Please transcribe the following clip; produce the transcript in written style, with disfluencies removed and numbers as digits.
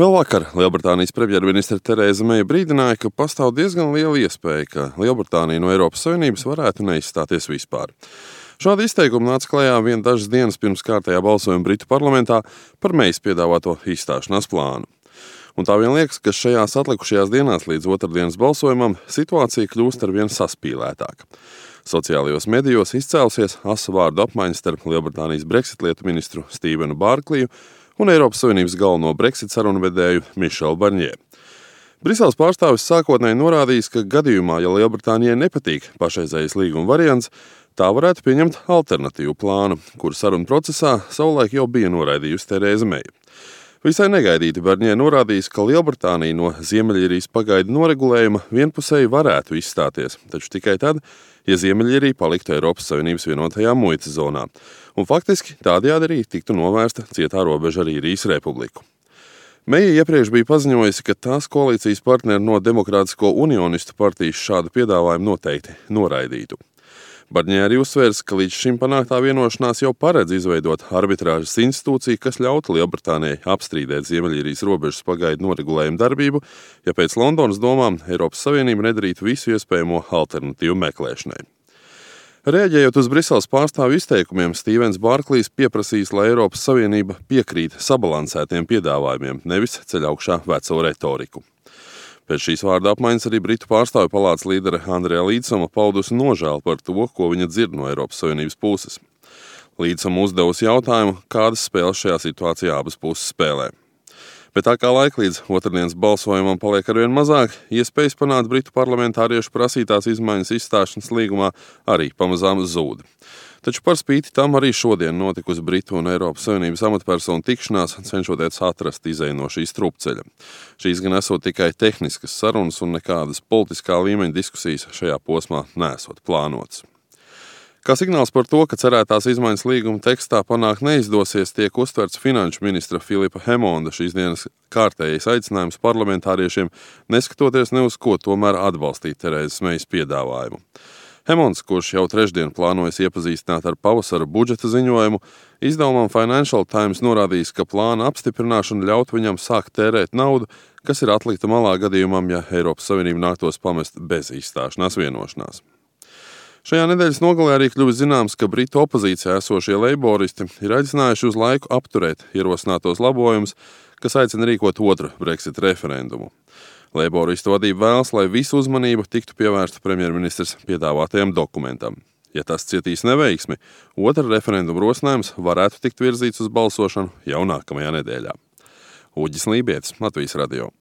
Vēl vakar Lielbritānijas premjerministre Terēza Meija brīdināja, ka pastāv diezgan liela iespēja, ka Lielbritānija no Eiropas Savienības varētu neizstāties vispār. Šādi izteikumi nāca klajā vien dažas dienas pirms kārtējā balsojuma Britu parlamentā par Meijas piedāvāto izstāšanās plānu. Un tā vien liekas, ka šajās atlikušajās dienās līdz otrdienas balsojumam situācija kļūst arvien saspīlētāka. Sociālajos medijos izcēlusies asa vārdu apmaiņa starp Lielbritānijas Brexit lietu ministru Stevenu Bārkliju un Eiropas Savienības galveno Brexit sarunvedēju Mišelu Barņē. Briseles pārstāvis sākotnēji norādījis, ka gadījumā, ja Lielbritānijai nepatīk pašreizējais līguma variants, tā varētu pieņemt alternatīvu plānu, kuru sarunu procesā savulaik jau bija noraidījusi Terēza Meija. Visai negaidīti Barņē norādījis, ka Lielbritānija no Ziemeļīrijas pagaidu noregulējuma vienpusēji varētu izstāties, taču tikai tad, ja Ziemeļīrija paliktu Eiropas Savienības vienotajā muitas zonā. Un faktiski tādējādi arī tiktu novērsta cietā robeža ar Īrijas republiku. Meija iepriekš bija paziņojusi, ka tās koalīcijas partneri no Demokrātisko unionistu partijas šādu piedāvājumu noteikti noraidītu. Barņē arī uzsvērs, ka līdz šim panāktā vienošanās jau paredz izveidot arbitrāžas institūciju, kas ļautu Lielbritānijai apstrīdēt Ziemeļīrijas robežas pagaidu noregulējumu darbību, ja pēc Londonas domām Eiropas Savienība nedarītu visu iespējamo alternatīvu meklēšanai. Reaģējot uz Briseles pārstāvju izteikumiem, Stevens Bārklijs pieprasījis, lai Eiropas Savienība piekrīt sabalansētiem piedāvājumiem, nevis ceļ augšā veco retoriku. Pēc šīs vārda apmaiņas arī Britu pārstāvju palātas līdere Andreja Līdsama paudusi nožēlu par to, ko viņa dzird no Eiropas Savienības puses. Līdsama uzdevusi jautājumu, kādas spēles šajā situācijā abas puses spēlē. Bet tā kā laika līdz otrdienas balsojumam paliek arvien mazāk, iespējas panākt Britu parlamentāriešu prasītās izmaiņas izstāšanas līgumā arī pamazām zūd. Taču par spīti tam arī šodien notikusi Britu un Eiropas Savienības amatpersonu tikšanās, cenšoties atrast izeju no šīs strupceļa. Šīs gan esot tikai tehniskas sarunas un nekādas politiskā līmeņa diskusijas šajā posmā nesot plānotas. Kā signāls par to, ka cerētās izmaiņas līguma tekstā panākt neizdosies, tiek uztverts finanšu ministra Filipa Hemonda šīs dienas kārtējais aicinājums parlamentāriešiem, neskatoties ne uz ko, tomēr atbalstīt Terēzas Meijas piedāvājumu. Hemonds, kurš jau trešdien plānojas iepazīstināt ar pavasara budžeta ziņojumu, izdevumam Financial Times norādījis, ka plāna apstiprināšana ļaut viņam sākt tērēt naudu, kas ir atlikta malā gadījumam, ja Eiropas Savienība nāktos pamest bez izstāšanās vienošanās. Šajā nedēļas nogalē arī kļuvis zināms, ka Britu opozīcijā esošie leiboristi ir aicinājuši uz laiku apturēt ierosinātos labojumus, kas aicina rīkot otru Brexit referendumu. Leiboristu vadība vēlas, lai visu uzmanību tiktu pievērsta premjerministrs piedāvātajam dokumentam. Ja tas cietīs neveiksmi, otra referenduma rosinājums varētu tikt virzīts uz balsošanu jau nākamajā nedēļā. Uģis Lībietis, Latvijas radio.